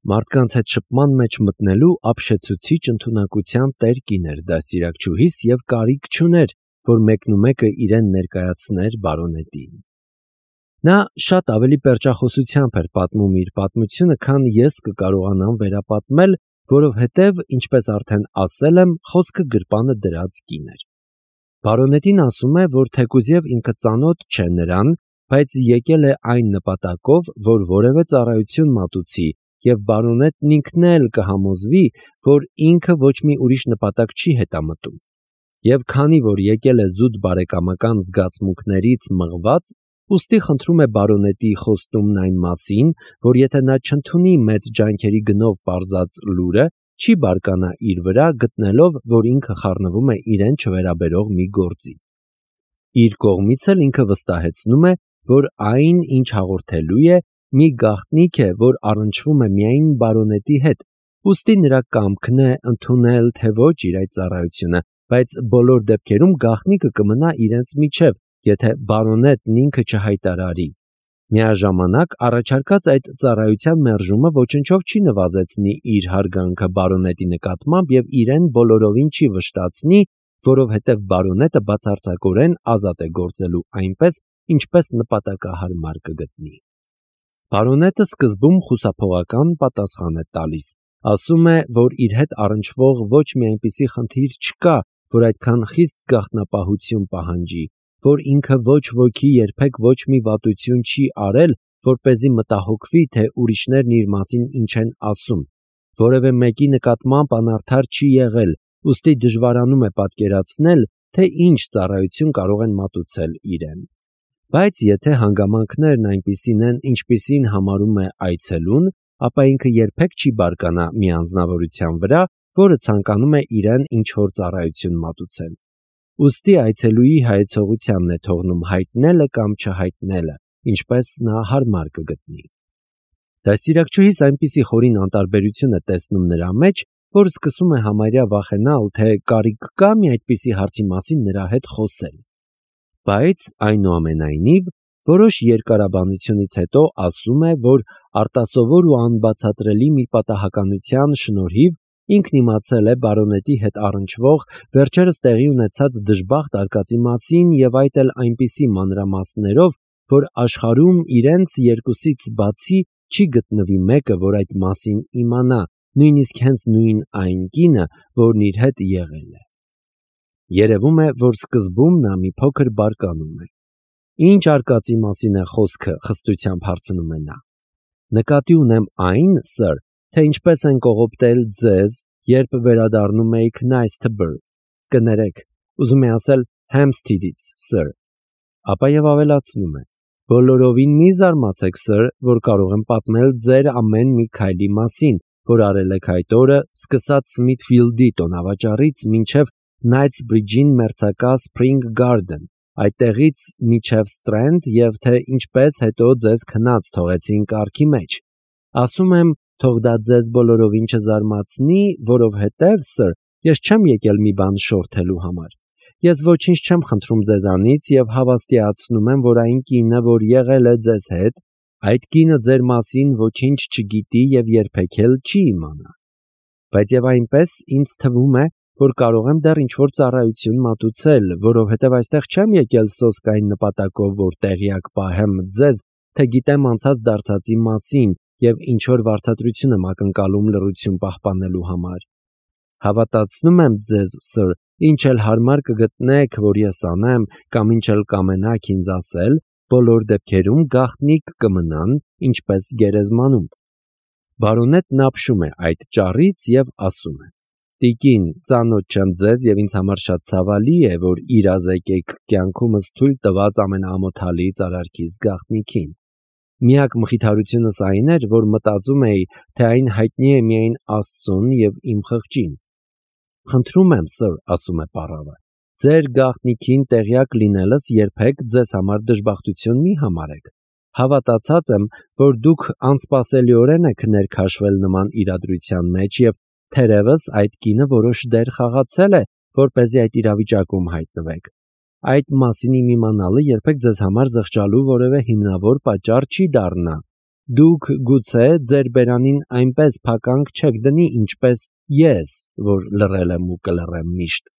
Մարդկանց հետ շփման մեջ մտնելու ապշեցուցիչ ընդունակության տեր կին էր դաստիարակչուհիս և կարիք չուներ, որ մեկնումեկը իրեն ներկայացներ բարոնետին։ Նա շատ ավելի պերճախոսությամբ էր պատմում իր պատմությունը, քան ես կկարողանամ վերապատմել, որովհետև, ինչպես արդեն ասել եմ, խոսքը գրպանը դրած կին էր։ Բարոնետին ասում է, որ թեկուզև ինքը ծանոթ չէ նրան, բայց եկել է այն նպատակով, որ որևէ ծառայություն մատուցի, և բարոնետն ինքն էլ կհամոզվի, որ ինքը ոչ մի ուրիշ նպատակ չի հետամտում։ Եվ քանի որ եկել է զուտ բարեկամական զգացմունքներից մղված, ուստի խնդրում է բարոնետի խոստումն այն մասին, որ եթե նա չընդունի մեծ ջանքերի գնով պարզած լուրը, չի բարկանա իր վրա, գտնելով, որ ինքը խառնվում է իրեն չվերաբերող մի գործի։ Իր կողմից էլ ինքը վստահեցնում է, որ այն, ինչ հաղորդելու է, մի գաղտնիք է, որ առնչվում է միայն բարոնետի հետ, ուստի նրա կամքն է ընդունել թե ոչ իր այդ ծառայությունը, բայց բոլոր դեպքերում գաղտնիքը կմնա իրենց միջև, եթե բարոնետն ինքը չհայտարարի։ Միաժամանակ առաջարկած այդ ծառայության մերժումը ոչնչով չի նվազեցնի իր հարգանքը բարոնետի նկատմամբ և իրեն բոլորովին չի վշտացնի, որովհետև բարոնետը բացարձակորեն ազատ է գործելու այնպես, ինչպես նպատակահարմար կգտնի։ Բարոնետը սկզբում խուսափողական պատասխան է տալիս, ասում է, որ իր հետ առնչվող ոչ մի այնպիսի խնդիր չկա, որ այդքան խիստ գաղտնապահություն պահանջի, որ ինքը ոչ ոքի երբեք ոչ մի վատություն չի արել, որպեսզի մտահոգվի, թե ուրիշներն իր մասին ինչ են ասում, որևէ մեկի նկատմամբ անարդար չի եղել, ուստի դժվարանում է պատկերացնել, թե ինչ ծառայություն կարող են մատուցել իրեն։ Բայց եթե հանգամանքներն այնպիսին են, ինչպիսին համարում է այցելուն, ապա ինքը երբեք չի բարկանա մի անձնավորության վրա, որը ցանկանում է իրեն ինչ-որ ծառայություն մատուցել։ Ուստի այցելուի հայեցողությանն է թողնում հայտնելը կամ չհայտնելը, ինչպես նա հարմար կգտնի։ Դաստիարակչուհիս այնպիսի խորին անտարբերություն է տեսնում նրա մեջ, որ սկսում է համարյա վախենալ, թե կարիք կա մի այդպիսի հարցի մասին նրա հետ խոսել։ Բայց այնուամենայնիվ որոշ երկարաբանությունից հետո ասում է, որ արտասովոր ու անբացատրելի մի պատահականության շնորհիվ ինքն իմացել է բարոնետի հետ առնչվող վերջերս տեղի ունեցած դժբախտ արկածի մասին և այդ էլ այնպիսի մանրամասներով, որ աշխարհում իրենց երկուսից բացի չի գտնվի մեկը, որ այդ մասին իմանա, նույնիսկ հենց նույն այն կինը, որն իր հետ եղել է։ Երևում է, որ սկզբում նա մի փոքր բարկանում է։ Ինչ արկածի մասին է խոսքը, խստությամբ հարցնում է նա։ Նկատի ունեմ այն, սըր, թե ինչպես են կողոպտել ձեզ, երբ վերադառնում էիք Նայսթբր, կներեք, ուզում է ասել Հեմփսթիդից, սըր։ Ապա եւ ավելացնում է. բոլորովին մի զարմացեք, սըր, որ կարող եմ պատմել ձեր ամեն մի քայլի մասին, որ արել եք այդ օրը, սկսած Սմիթֆիլդի տոնավաճառից մինչև Նայթսբրիջին մերձակա Սփրինգ Գարդեն, այդտեղից մինչև Սթրենդ և թե ինչպես հետո ձեզ քնած թողեցին կառքի մեջ։ Ասում եմ, թող դա ձեզ բոլորովին չզարմացնի, որովհետև, սըր, ես չեմ եկել մի բան շորթելու համար։ Ես ոչինչ չեմ խնդրում ձեզանից և հավաստիացնում եմ, որ այն կինը, որ եղել է ձեզ հետ, այդ կինը ձեր մասին ոչինչ չգիտի և երբեք էլ չի իմանա։ Բայց և այնպես ինձ թվում է, որ կարող եմ դեռ ինչ-որ ծառայություն մատուցել, որովհետև այստեղ չեմ եկել սոսկ այն նպատակով, որ տեղյակ պահեմ ձեզ, թե գիտեմ անցած դարձածի մասին և ինչ-որ վարձատրություն եմ ակնկալում լռություն պահպանելու համար։ Հավատացնում եմ ձեզ, սըր, ինչ էլ հարմար կգտնեք, որ ես անեմ, կամ ինչ էլ կամենաք ինձ ասել, բոլոր դեպքերում գաղտնիք կմնան, ինչպես գերեզմանում։ Բարոնետն ապշում է այդ ճառից և ասում է. Տիկին, ծանոթ չեմ ձեզ և ինձ համար շատ ցավալի է, որ իրազեկեք կյանքումս թույլ տված ամենաամոթալից արարքիս գաղտնիքին։ Միակ մխիթարությունս այն էր, որ մտածում էի, թե այն հայտնի է միայն Աստծուն և իմ խղճին։ Խնդրում եմ, սըր, ասում է պառավը, ձեր գաղտնիքին տեղյակ լինելս երբեք ձեզ համար դժբախտություն մի համարեք։ Հավատացած եմ, որ դուք անսպասելիորեն եք ներքաշվել նման իրադրության մեջ և թերևս այդ կինը որոշ դեր խաղացել է, որպեսզի այդ իրավիճակում հայտնվեք։ Այդ մասին իմ իմանալը երբեք ձեզ համար զղջալու որևէ հիմնավոր պատճառ չի դառնա։ Դուք գուցե ձեր բերանին այնպես փականք չեք դնի, ինչպես ես, որ լռել եմ ու կլռեմ միշտ։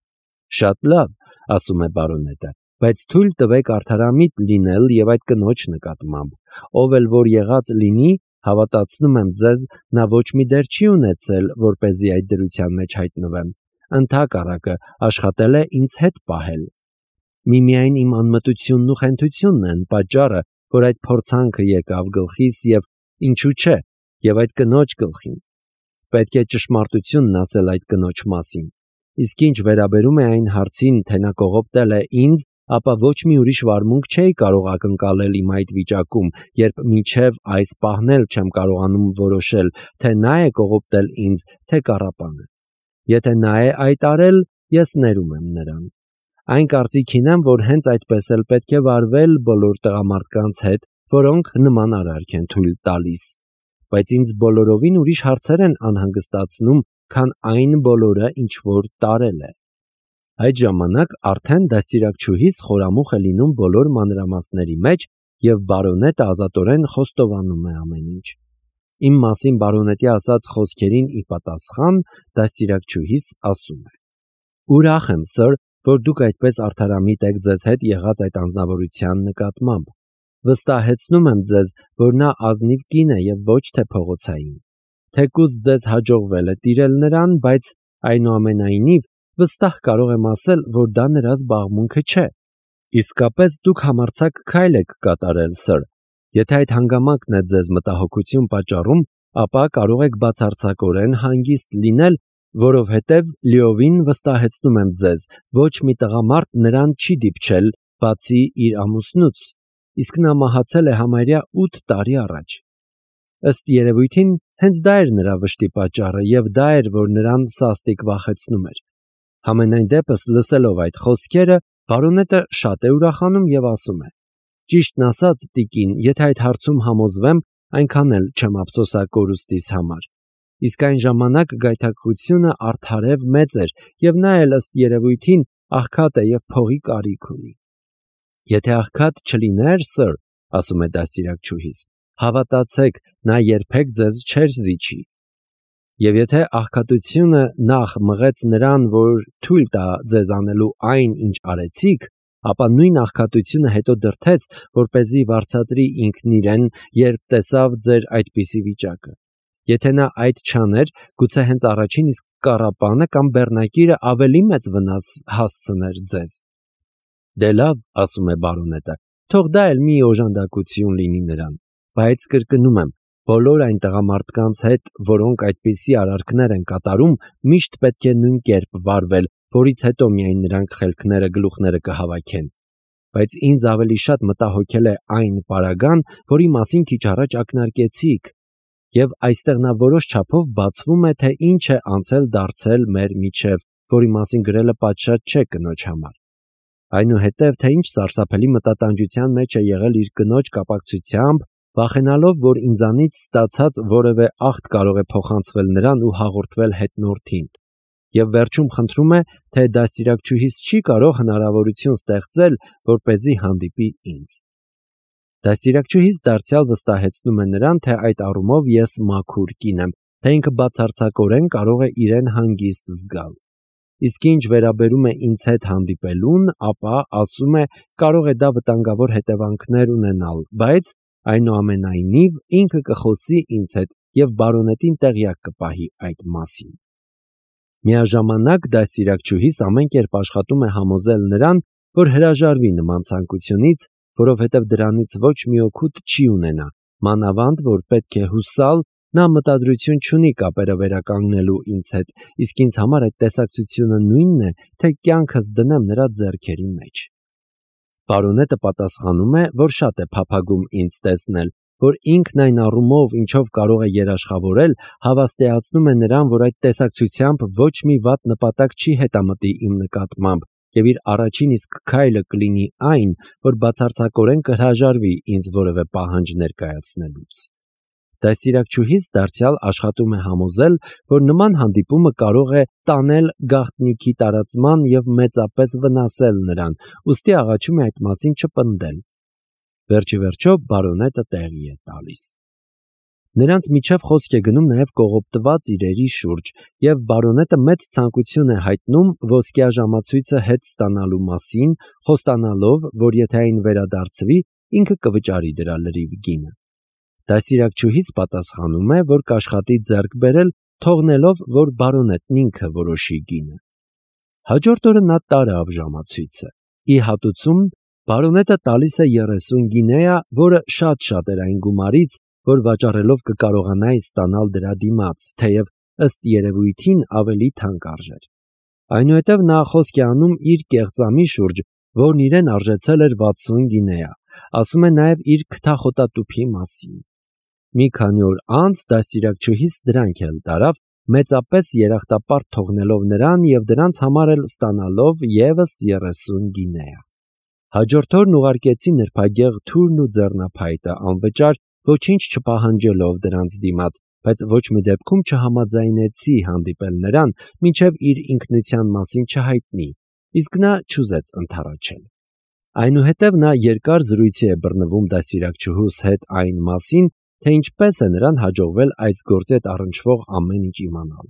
Շատ լավ, ասում է բարոնետը, բայց թույլ տվեք արդարամիտ լինել եւ այդ կնոջ նկատմամբ, ով էլ որ եղած լինի, հավատացնում եմ ձեզ, նա ոչ մի դեր չի ունեցել, որպեսզի այդ դրության մեջ հայտնվեմ, ընդհակառակը աշխատել է ինձ հետ պահել։ Միմիայն իմ անմտությունն ու խենթությունն են պատճառը, որ այդ փորձանքը եկավ գլխիս եւ ինչու՞ չէ, եւ այդ կնոջ գլխին։ Պետք է ճշմարտությունն ասել այդ կնոջ մասին։ Իսկ ինչ վերաբերում է այն հարցին, թե նա կողոպտել է ինձ, ապա ոչ մի ուրիշ վարմունք չէի կարող ակնկալել իմ այդ վիճակում, երբ մինչև այս պահն էլ չեմ կարողանում որոշել, թե նա է կողոպտել ինձ, թե կառապանը։ Եթե նա է այդ արել, ես ներում եմ նրան։ Այն կարծիքին եմ, որ հենց այդպես էլ պետք է վարվել բոլոր տղամարդկանց հետ, որոնք նման արարք են թույլ տալիս։ Բայց ինձ բոլորովին ուրիշ հարցեր են անհանգստացնում, քան այն բոլորը, ինչ որ տարել է։ Այդ ժամանակ արդեն դաստիարակչուհիս խորամուխ է լինում բոլոր մանրամասների մեջ եւ բարոնետը ազատորեն խոստովանում է ամեն ինչ։ Իմ մասին բարոնետի ասած խոսքերին ի պատասխան դաստիարակչուհիս ասում է. Ուրախ եմ, սր, որ դուք այդպես արդարամիտ եք ձեզ հետ եղած այդ անձնավորության նկատմամբ։ Վստահեցնում եմ ձեզ, որ նա ազնիվ կին է եւ ոչ թե փողոցային։ Թեկուզ ձեզ հաջողվել է տիրել նրան, բայց այնուամենայնիվ վստահ կարող եմ ասել, որ դա նրա զբաղմունքը չէ։ Իսկապես դուք համարձակ քայլ եք կատարել, սր։ Եթե այդ հանգամանքն է ձեզ մտահոգություն պատճառում, ապա կարող եք բացարձակորեն հանգիստ լինել, որովհետև լիովին վստահեցնում եմ ձեզ, ոչ մի տղամարդ նրան չի դիպչել, բացի իր ամուսնուց, իսկ նա մահացել է համարյա 8 տարի առաջ։ Ըստ երևույթին, հենց դա էր նրա վշտի պատճառը, եւ դա էր, որ նրան սաստիկ վախեցնում էր։ Համենայն դեպս, լսելով այդ խոսքերը, բարոնետը շատ է ուրախանում եւ ասում է. Ճիշտն ասած, տիկին, եթե այդ հարցում համոզվեմ, այնքան էլ չեմ ափսոսա կորուստիս համար։ Իսկ այն ժամանակ գայթակղությունը արդարև մեծ էր, եւ նա էլ ըստ երևույթին աղքատ է եւ փողի կարիք ունի։ Եթե աղքատ չլիներ, սր, ասում է դաստիարակչուհիս, հավատացեք, նա երբեք ձեզ չէր զիջի։ Եվ եթե աղքատությունը նախ մղեց նրան, որ թույլ տա ձեզ անելու այն, ինչ արեցիք, ապա նույն աղքատությունը հետո դրդեց, որպեսզի վարձատրի ինքն իրեն, երբ տեսավ ձեր այդպիսի վիճակը։ Եթե նա այդ չաներ, գուցե հենց առաջին իսկ կառապանը կամ բեռնակիրը ավելի մեծ վնաս հասցներ ձեզ։ Դե լավ, ասում է բարոնետը, թող դա էլ մի օժանդակություն լինի նրան, բայց կրկնում եմ, բոլոր այն տղամարդկանց հետ, որոնք այդպիսի արարքներ են կատարում, միշտ պետք է նույն կերպ վարվել, որից հետո միայն նրանք խելքները գլուխները կհավաքեն։ Բայց ինձ ավելի շատ մտահոգել է այն պարագան, որի մասին քիչ առաջ ակնարկեցիք, եւ այստեղ նա որոշ չափով բացվում է, թե ինչ է անցել դարձել մեր միջև, որի մասին գրելը պատշաճ չէ կնոջ համար։ Այնուհետև, թե ինչ սարսափելի մտատանջության մեջ է եղել իր կնոջ կապակցությամբ, վախենալով, որ ինձանից ստացած որևէ ախտ կարող է փոխանցվել նրան ու հաղորդվել հետնորդին։ Եվ վերջում խնդրում է, թե դաստիարակչուհիս չի կարող հնարավորություն ստեղծել, որպեսզի հանդիպի ինձ։ Դաստիարակչուհիս դարձյալ վստահեցնում է նրան, թե այդ առումով ես մաքուր կին եմ, թե ինքը բացարձակորեն կարող է իրեն հանգիստ զգալ։ Իսկ ինչ վերաբերում է ինձ հետ հանդիպելուն, ապա ասում է, կարող է դա վտանգավոր հետևանքներ ունենալ, բայց այնուամենայնիվ ինքը կխոսի ինձ հետ եւ բարոնետին տեղյակ կպահի այդ մասին։ Միաժամանակ դաստիարակչուհիս ամեն կերպ աշխատում է համոզել նրան, որ հրաժարվի նման ցանկությունից, որովհետև դրանից ոչ մի օգուտ չի ունենա, մանավանդ որ պետք է հուսալ, նա մտադրություն չունի կապերը վերականգնելու ինձ հետ, իսկ ինձ համար այդ տեսակցությունը նույնն է, թե կյանքս դնեմ նրա ձեռքերի մեջ։ Բարոնետը պատասխանում է, որ շատ է փափագում ինձ տեսնել, որ ինքն այն առումով, ինչով կարող է երաշխավորել, հավաստիացնում է նրան, որ այդ տեսակցությամբ ոչ մի վատ նպատակ չի հետամտի իմ նկատմամբ, եւ իր առաջին իսկ քայլը կլինի այն, որ բացարձակորեն կհրաժարվի ինձ որևէ պահանջ ներկայացնելուց։ Դաստիարակչուհիս դարձյալ աշխատում է համոզել, որ նման հանդիպումը կարող է տանել գաղտնիքի տարածման եւ մեծապես վնասել նրան, ուստի աղաչում է այդ մասին չպնդել։ Վերջիվերջո բարոնետը տեղի է տալիս։ Նրանց միջև խոսք է գնում նաև կողոպտված իրերի շուրջ, եւ բարոնետը մեծ ցանկություն է հայտնում ոսկյա ժամացույցը հետ ստանալու մասին, խոստանալով, որ եթե այն վերադարձվի, ինքը կվճարի դրա լրիվ գինը։ Դաստիարակչուհիս պատասխանում է, որ կաշխատի ձեռք բերել, թողնելով, որ բարոնետն ինքը որոշի գինը։ Հաջորդ օրը նա տարավ ժամացույցը։ Ի հատուցում բարոնետը տալիս է 30 գինեա, որը շատ էր այն գումարից, որ վաճառելով կկարողանայի ստանալ դրա դիմաց, թեև ըստ երևույթին ավելի թանկ արժեր։ Այնուհետև նա խոսք է անում իր կեղծամի շուրջ, որն իրեն արժեցել էր 60 գինեա, ասում է նաև իր քթախոտատուփի մասին։ Մի քանի օր անց դաստիարակչուհիս դրանք էլ տարավ, մեծապես երախտապարտ թողնելով նրան եւ դրանց համար էլ ստանալով եւս 30 գինեա։ Հաջորդ օրն ուղարկեցի նրբագեղ թուրն ու ձեռնափայտը անվճար, ոչինչ չպահանջելով դրանց դիմաց, բայց ոչ մի դեպքում չհամաձայնեցի հանդիպել նրան, մինչև իր ինքնության մասին չհայտնի, իսկ նա չուզեց ընդառաջել։ Այնուհետև նա երկար զրույցի է բռնվում դաստիարակչուհուս հետ այն մասին, թե ինչպես է նրան հաջողվել այս գործի հետ առնչվող ամեն ինչ իմանալ։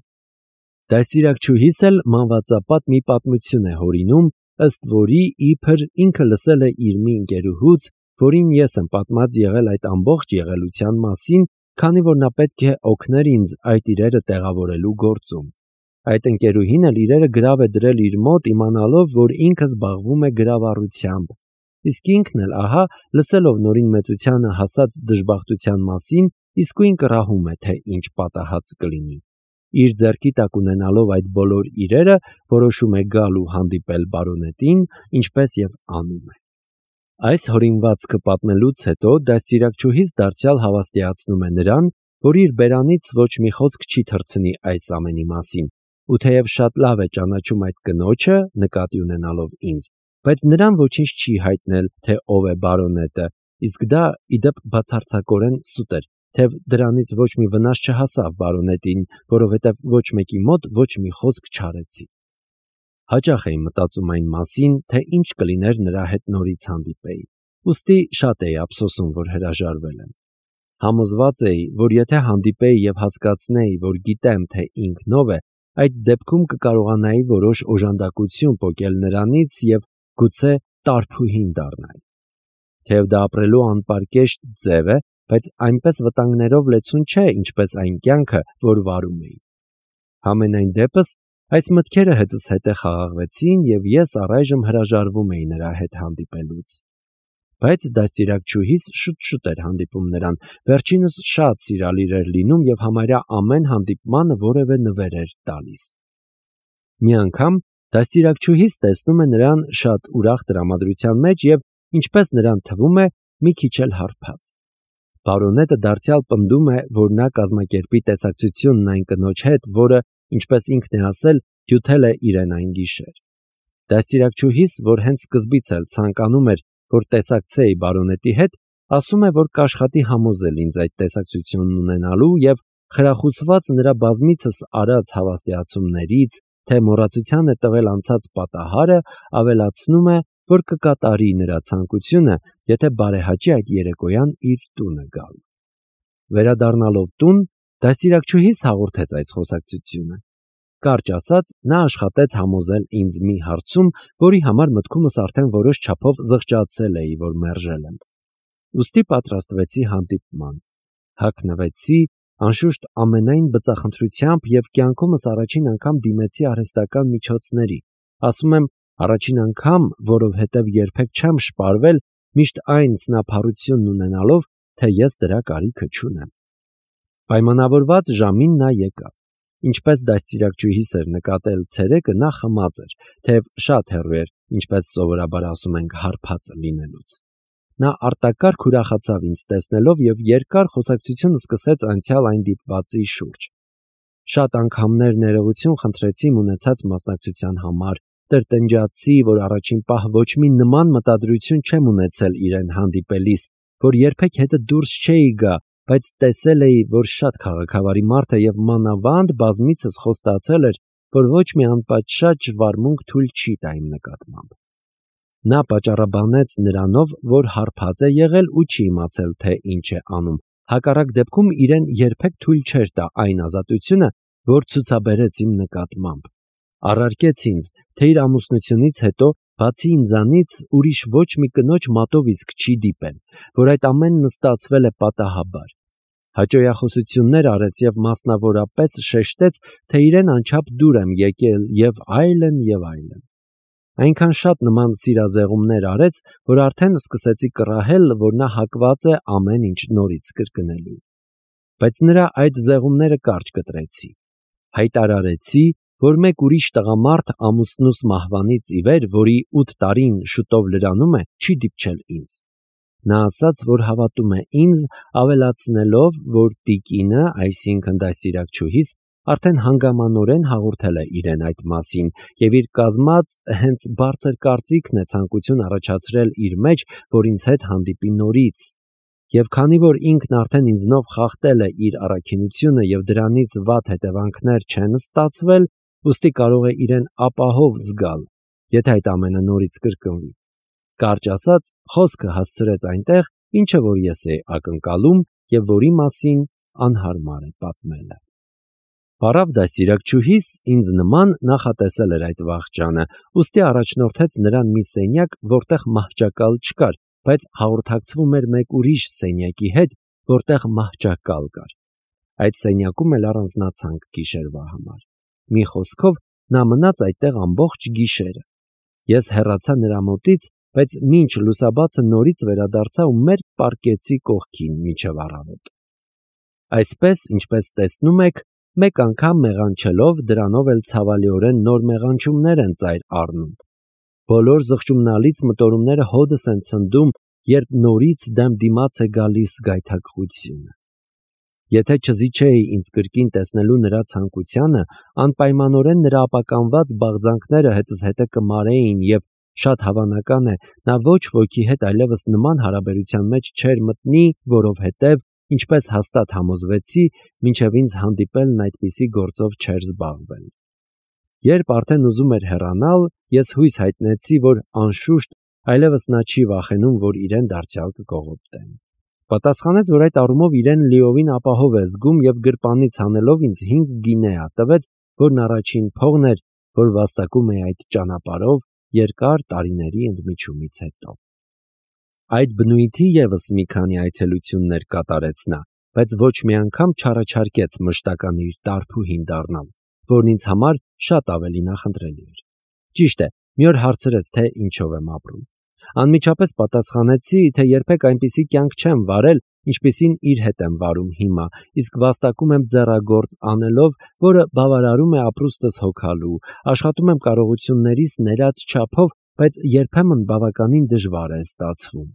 Դաստիարակչուհիս էլ մանվածապատ մի պատմություն է հորինում, ըստ որի իբր ինքը լսել է իր մի ընկերուհուց, որին ես եմ պատմած եղել այդ ամբողջ եղելության մասին, քանի որ նա պետք է օգներ ինձ այդ իրերը տեղավորելու գործում։ Այդ ընկերուհին էլ իրերը գրավ է դրել իր մոտ, իմանալով, որ ինքը զբաղվում է գրավառությամբ։ Իսկ ինքն էլ, ահա, լսելով նորին մեծությանը հասած դժբախտության մասին, իսկույն կռահում է, թե ինչ պատահած կլինի։ Իր ձեռքի տակ ունենալով այդ բոլոր իրերը, որոշում է գալ ու հանդիպել բարոնետին, ինչպես եւ անում է։ Այս հորինվածքը պատմելուց հետո դաստիարակչուհիս դարձյալ հավաստիացնում է նրան, որ իր բերանից ոչ մի խոսք չի թռցնի այս ամենի մասին, ու թեև շատ լավ է ճանաչում այդ կնոջը, նկատի ունենալով ինձ, բայց նրան ոչինչ չի հայտնել, թե ով է բարոնետը, իսկ դա իդեպ բացարձակորեն սուտ էր, թեև դրանից ոչ մի վնաս չհասավ բարոնետին, որովհետև ոչ մեկի մոտ ոչ մի խոսք չարեցի։ Հաճախ էի մտածում այն մասին, թե ինչ կլիներ նրա հետ նորից հանդիպեի, ուստի շատ էի ափսոսում, որ հրաժարվել եմ։ Համոզված էի, որ եթե հանդիպեի եւ հասկացնեի, որ գիտեմ, թե ինքն ով է, այդ դեպքում կկարողանայի որոշ օժանդակություն պոկել նրանից եւ գուցե տարփուհին դառնայի։ Թեև դա ապրելու անպարկեշտ ձև է, բայց այնպես վտանգներով լեցուն չէ, ինչպես այն կյանքը, որ վարում էի։ Համենայն դեպս այս մտքերը հետս հետ խաղաղվեցին եւ ես առայժմ հրաժարվում էի նրա հետ հանդիպելուց։ Բայց դաստիարակչուհիս շուտ էր հանդիպում նրան, վերջինս շատ սիրալիր էր լինում եւ համարյա ամեն հանդիպմանը որևէ նվեր էր տալիս։ Մի անգամ դաստիարակչուհիս տեսնում է նրան շատ ուրախ տրամադրության մեջ եւ, ինչպես նրան թվում է, մի քիչ էլ հարբած։ Բարոնետը դարձյալ պնդում է, որ նա կազմակերպի տեսակցությունն այն կնոջ հետ, որը, ինչպես ինքն է ասել, դյութել է իրեն այն գիշեր։ Դաստիարակչուհիս, որ հենց սկզբից էլ ցանկանում էր, որ տեսակցեի բարոնետի հետ, ասում է, որ կաշխատի համոզել ինձ այդ տեսակցությունն ունենալու եւ խրախուսված նրա բազմիցս արած հավաստիացումներից, թե մոռացության է տվել անցած պատահարը, ավելացնում է, որ կկատարի նրա ցանկությունը, եթե բարեհաճի այդ երեկոյան իր տունը գալ։ Վերադառնալով տուն, դաստիարակչուհիս հաղորդեց այս խոսակցությունը։ Կարճ ասած, նա աշխատեց համոզել ինձ մի հարցում, որի համար մտքումս արդեն որոշ չափով զղջացել էի, որ մերժել եմ։ Ուստի պատրաստվեցի հանդիպման։ Հագնվեցի, անշուշտ ամենայն բծախնդրությամբ եւ կյանքումս առաջին անգամ դիմեցի արհեստական միջոցների։ Ասում եմ առաջին անգամ, որովհետև երբեք չեմ շպարվել, միշտ այն սնափառությունն ունենալով, թե ես դրա կարիքը չունեմ։ Պայմանավորված ժամին նա եկավ։ Ինչպես դաստիարակչուհիս էր նկատել ցերեկը, նա խմած էր, թեև շատ հեռու էր, ինչպես սովորաբար ասում ենք, հարբած լինելուց։ Նա արտակարգ ուրախացավ ինձ տեսնելով եւ երկար խոսակցություն սկսեց անցյալ այն դիպվածի շուրջ։ Շատ անգամներ ներողություն խնդրեցի ունեցած մասնակցության համար, տրտնջացի, որ առաջին պահ ոչ մի նման մտադրություն չեմ ունեցել իրեն հանդիպելիս, որ երբեք հետը դուրս չէի գա, բայց տեսել էի, որ շատ քաղաքավարի մարդ է եւ մանավանդ բազմիցս խոստացել էր, որ ոչ մի անպատշաճ վարմունք թույլ չի տա իմ նկատմամբ։ Նա պատճառաբանեց նրանով, որ հարբած է եղել ու չի իմացել, թե ինչ է անում, հակառակ դեպքում իրեն երբեք թույլ չէր տա այն ազատությունը, որ ցուցաբերեց իմ նկատմամբ։ Առարկեց ինձ, թե իր ամուսնությունից հետո բացի ինձանից ուրիշ ոչ մի կնոջ մատով իսկ չի դիպել, որ այդ ամենն ստացվել է պատահաբար։ Հաճոյախոսություններ արեց եւ մասնավորապես շեշտեց, թե իրեն անչափ դուր եմ եկել եւ այլն եւ այլն։ Այնքան շատ նման սիրազեղումներ արեց, որ արդեն սկսեցի կռահել, որ նա հակված է ամեն ինչ նորից կրկնելու։ Բայց նրա այդ զեղումները կարճ կտրեցի։ Հայտարարեցի, որ մեկ ուրիշ տղամարդ ամուսնուս մահվանից ի վեր, որի 8 տարին շուտով լրանում է, չի դիպչել ինձ։ Նա ասաց, որ հավատում է ինձ, ավելացնելով, որ տիկինը, այսինքն դաստիարակչուհիս, արդեն հանգամանորեն հաղորդել է իրեն այդ մասին եւ իր կազմած հենց բարձր կարծիքն է ցանկություն առաջացրել իր մեջ, որ ինձ հետ հանդիպի նորից։ Եվ քանի որ ինքն արդեն ինձնով խախտել է իր առաքինությունը եւ դրանից վատ հետևանքներ չեն ստացվել, ուստի կարող է իրեն ապահով զգալ, եթե այդ ամենը նորից կրկնվի։ Կարճ ասած, խոսքը հասցրեց այնտեղ, ինչը որ ես էի ակնկալում եւ որի մասին անհարմար է պատմելը։ Բարավ դաստիարակչուհիս ինձ նման նախատեսել էր այդ վախճանը, ուստի առաջնորդեց նրան մի սենյակ, որտեղ մահճակալ չկար, բայց հաղորդակցվում էր մեկ ուրիշ սենյակի հետ, որտեղ մահճակալ կար։ Այդ սենյակում էլ առանձնացանք գիշերվա համար։ Մի խոսքով, նա մնաց այդտեղ ամբողջ գիշերը։ Ես հեռացա նրա մոտից, բայց մինչ լուսաբացը նորից վերադարձա ու մեր պարկեցի կողքին մինչև առավոտ։ Այսպես, ինչպես տեսնում եք, մեկ անգամ մեղանչելով դրանով էլ ցավալիորեն նոր մեղանչումներ են ծայր առնում։ Բոլոր զղջումնալից մտորումները հոդս են ցնդում, երբ նորից դեմ դիմաց է գալիս գայթակղությունը։ Եթե չզիջեի ինձ կրկին տեսնելու նրա ցանկությանը, անպայմանորեն նրա ապականված բաղձանքները հետս հետը կմարեին եւ շատ հավանական է, նա ոչ ոքի հետ այլևս նման հարաբերության մեջ չէր մտնի, որովհետև, ինչպես հաստատ համոզվեցի, մինչև ինձ հանդիպելն այդպիսի գործով չէր զբաղվել։ Երբ արդեն ուզում էր հեռանալ, ես հույս հայտնեցի, որ անշուշտ այլևս նա չի վախենում, որ իրեն դարձյալ կկողոպտեն։ Պատասխանեց, որ այդ առումով իրեն լիովին ապահով է զգում եւ գրպանից հանելով ինձ 5 գինեա տվեց, որն առաջին փողն էր, որ վաստակում է այդ ճանապարհով երկար տարիների ընդմիջումից հետո։ Այդ բնույթի եւս մի քանի այցելություններ կատարեց նա, բայց ոչ մի անգամ չառաջարկեց մշտական իր տարփուհին դառնալ, որն ինձ համար շատ ավելի նախընտրելի էր։ Ճիշտ է, մի օր հարցրեց, թե ինչով եմ ապրում։ Անմիջապես պատասխանեցի, թե երբեք այնպիսի կյանք չեմ վարել, ինչպիսին իր հետ եմ վարում հիմա, իսկ վաստակում եմ ձեռագործ անելով, որը բավարարում է ապրուստս հոգալու, աշխատում եմ կարողություններիս ներած չափով, բայց երբեմն բավականին դժվար է ստացվում։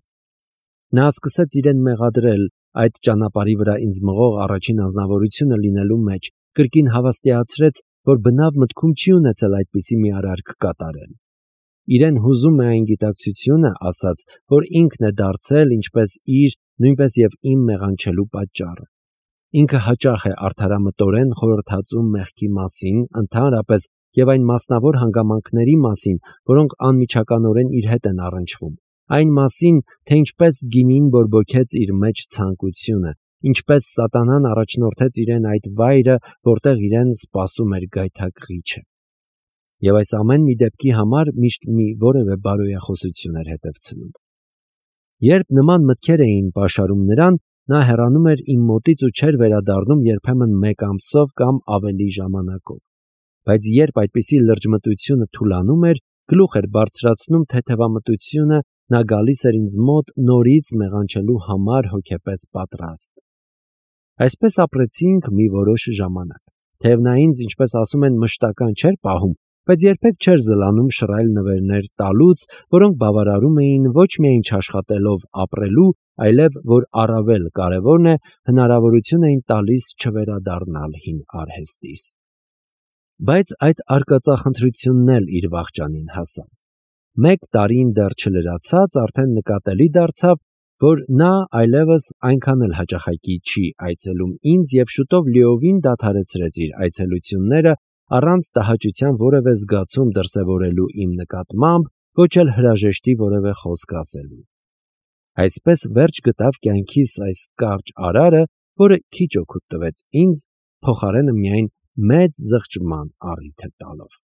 Նա սկսեց իրեն մեղադրել այդ ճանապարհի վրա ինձ մղող առաջին անznավորությունը լինելու մեջ, կրկին հավաստիացրեց, որ բնավ մտքում չի ունեցել այդպիսի մի արարք կատարել։ Իրեն հուզում է այն գիտակցությունը, ասաց, որ ինքն է դարձել ինչպես իր, նույնպես եւ իմ մեղանչելու պատճառը։ Ինքը հաճախ է արդարամտորեն խորհրդածում մեղքի մասին, ընդհանրապես եւ այն մասնավոր հանգամանքների մասին, որոնք անմիջականորեն իր հետ են առնչվում։ Այն մասին, թե ինչպես գինին բորբոքեց իր մեջ ցանկությունը, ինչպես սատանան առաջնորդեց իրեն այդ վայրը, որտեղ իրեն սպասում էր գայթակղիչը։ Եվ այս ամեն մի դեպքի համար միշտ մի որևէ բարոյախոսություն էր հետևցնում։ Երբ նման մտքեր էին պաշարում նրան, նա հեռանում էր իմ մոտից ու չէր վերադառնում երբեմն 1 ամսով կամ ավելի ժամանակով։ Բայց երբ այդպիսի լրջմտությունը թուլանում էր, գլուխ էր բարձրացնում թեթևամտությունը, նա գալիս էր ինձ մոտ նորից մեղանչելու համար հոգեպես պատրաստ։ Այսպես ապրեցինք մի որոշ ժամանակ։ Թեև նա ինձ, ինչպես ասում են, մշտական չէր պահում, բայց երբեք չէր զլանում շռայլ նվերներ տալուց, որոնք բավարարում էին ոչ միայն չաշխատելով ապրելու, այլև, որ առավել կարևորն է, հնարավորություն էին տալիս չվերադառնալ հին արհեստիս։ Բայց այդ արկածախնդրությունն էլ իր վախճանին հասավ։ 1 տարին դեռ չլրացած արդեն նկատելի դարձավ, որ նա այլևս այնքան էլ հաճախակի չի այցելում ինձ եւ շուտով լիովին դադարեցրեց իր այցելությունները առանց տհաճության որևէ զգացում դրսևորելու իմ նկատմամբ, ոչ էլ հրաժեշտի որևէ խոսք ասելու։ Այսպես վերջ գտավ կյանքիս այս կարճ արարը, որը քիչ օգուտ տվեց ինձ, փոխարենը միայն մեծ զղջման առիթ է տալով։